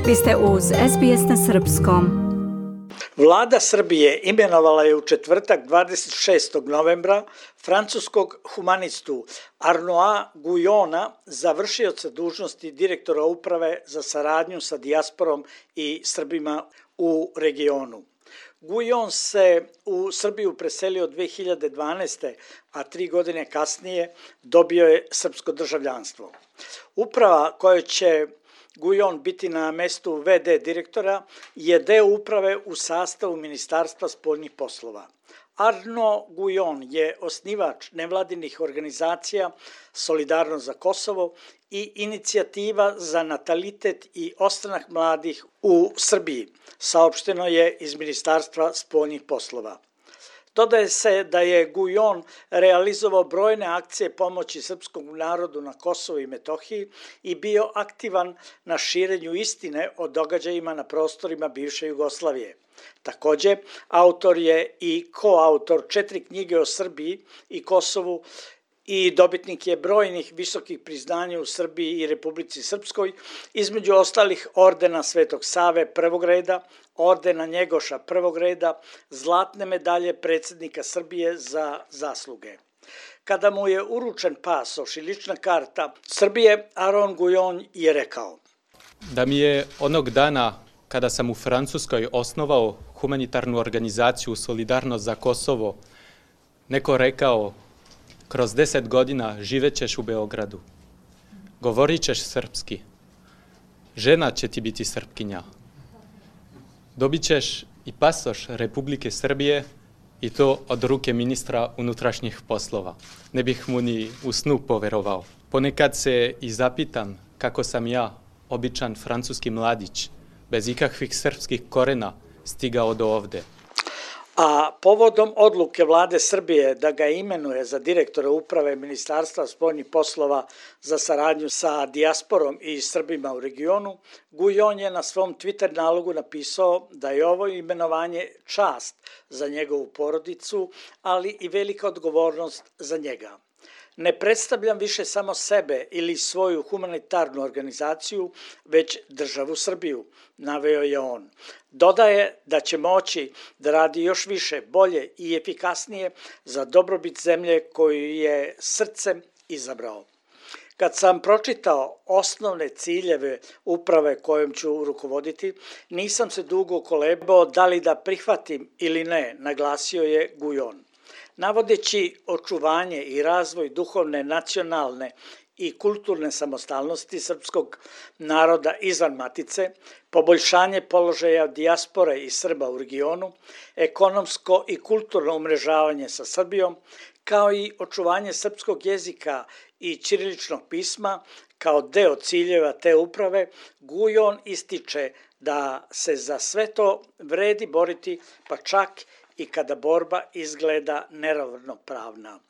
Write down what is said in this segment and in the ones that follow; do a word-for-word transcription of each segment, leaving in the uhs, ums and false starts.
Vi ste uz S B S na srpskom. Vlada Srbije imenovala je u četvrtak dvadeset šestog novembra francuskog humanistu Arnaуда Guyona za vršioca dužnosti direktora uprave za saradnju sa dijasporom i Srbima u regionu. Guyon se u Srbiju preselio dve hiljade dvanaeste. a tri godine kasnije dobio je srpsko državljanstvo. Uprava koja će Guyon biti na mestu ve de direktora je deo uprave u sastavu Ministarstva spoljnih poslova. Arnaud Guyon je osnivač nevladinih organizacija Solidarnost za Kosovo i inicijativa za natalitet i ostanak mladih u Srbiji, saopšteno je iz Ministarstva spoljnih poslova. Dodaje se da je Guyon realizovao brojne akcije pomoći srpskom narodu na Kosovu i Metohiji i bio aktivan na širenju istine o događajima na prostorima bivše Jugoslavije. Takođe, autor je i koautor četiri knjige o Srbiji i Kosovu i dobitnik je brojnih visokih priznanja u Srbiji i Republici Srpskoj, između ostalih ordena Svetog Save prvog reda, ordena Njegoša prvog reda, zlatne medalje predsjednika Srbije za zasluge. Kada mu je uručen pasoš i lična karta Srbije, Arnaud Guyon je rekao: Da mi je onog dana kada sam u Francuskoj osnovao humanitarnu organizaciju Solidarnost za Kosovo, neko rekao: kroz deset godina živećeš u Beogradu, govorit ćeš srpski, žena će ti biti Srpkinja, dobit ćeš i pasoš Republike Srbije i to od ruke ministra unutrašnjih poslova. Ne bih mu ni u snu poverovao. Ponekad se i zapitam kako sam ja, običan francuski mladić, bez ikakvih srpskih korena, stigao do ovde. A povodom odluke vlade Srbije da ga imenuje za direktora uprave Ministarstva spoljnih poslova za saradnju sa dijasporom i Srbima u regionu, Guyon je na svom Twitter nalogu napisao da je ovo imenovanje čast za njegovu porodicu, ali i velika odgovornost za njega. Ne predstavljam više samo sebe ili svoju humanitarnu organizaciju, već državu Srbiju, naveo je on. Dodaje da će moći da radi još više, bolje i efikasnije za dobrobit zemlje koju je srcem izabrao. Kad sam pročitao osnovne ciljeve uprave kojom ću rukovoditi, nisam se dugo kolebao da li da prihvatim ili ne, naglasio je Guyon. Navodeći očuvanje i razvoj duhovne, nacionalne i kulturne samostalnosti srpskog naroda izvan matice, poboljšanje položaja dijaspore i Srba u regionu, ekonomsko i kulturno umrežavanje sa Srbijom, kao i očuvanje srpskog jezika i ćiriličnog pisma kao deo ciljeva te uprave, Guyon ističe da se za sve to vredi boriti, pa čak i kada borba izgleda neravnopravna.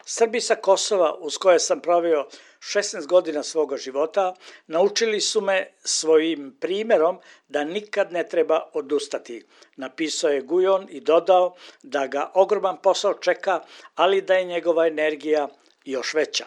Srbi sa Kosova, uz koje sam proveo šesnaest godina svoga života, naučili su me svojim primjerom da nikad ne treba odustati, napisao je Guyon i dodao da ga ogroman posao čeka, ali da je njegova energija još veća.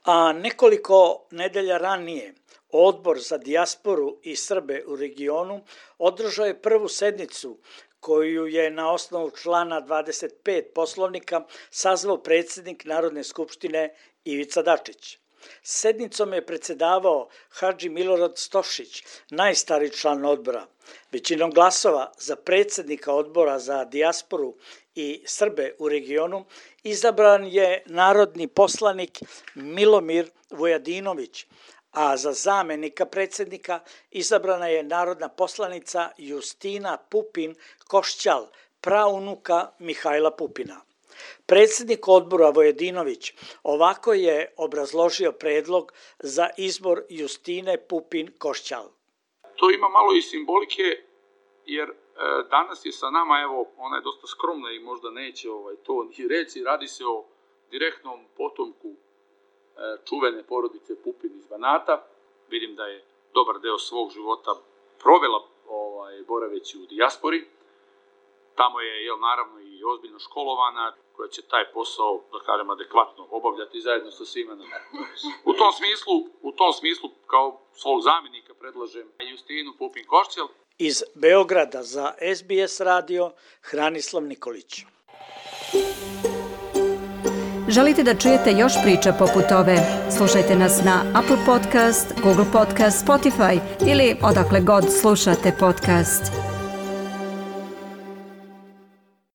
A nekoliko nedelja ranije Odbor za dijasporu i Srbe u regionu održao je prvu sednicu koju je na osnovu člana dvadeset pet Poslovnika sazvao predsjednik Narodne skupštine Ivica Dačić. Sednicom je predsedavao Hadži Milorad Stošić, najstariji član odbora. Većinom glasova za predsjednika odbora za dijasporu i Srbe u regionu izabran je narodni poslanik Milomir Vujadinović, a za zamenika predsjednika izabrana je narodna poslanica Justina Pupin Košćal, praunuka Mihajla Pupina. Predsjednik odbora Vujadinović ovako je obrazložio predlog za izbor Justine Pupin Košćal. To ima malo i simbolike, jer e, danas je sa nama, evo, ona je dosta skromna i možda neće ovaj, to ni reći, radi se o direktnom potomku e, čuvene porodice Pupin iz Banata. Vidim da je dobar deo svog života provela ovaj, boraveći u dijaspori. Tamo je, jel, naravno, i i ozbiljno školovana, koja će taj posao, da kažem, adekvatno obavljati zajedno sa svima nama. U tom smislu, u tom smislu kao svog zamjenika predlažem Justinu Pupin-Košćel. Iz Beograda za S B S radio, Hranislav Nikolić. Želite da čujete još priča poput ove? Slušajte nas na Apple Podcast, Google Podcast, Spotify ili odakle god slušate podcast.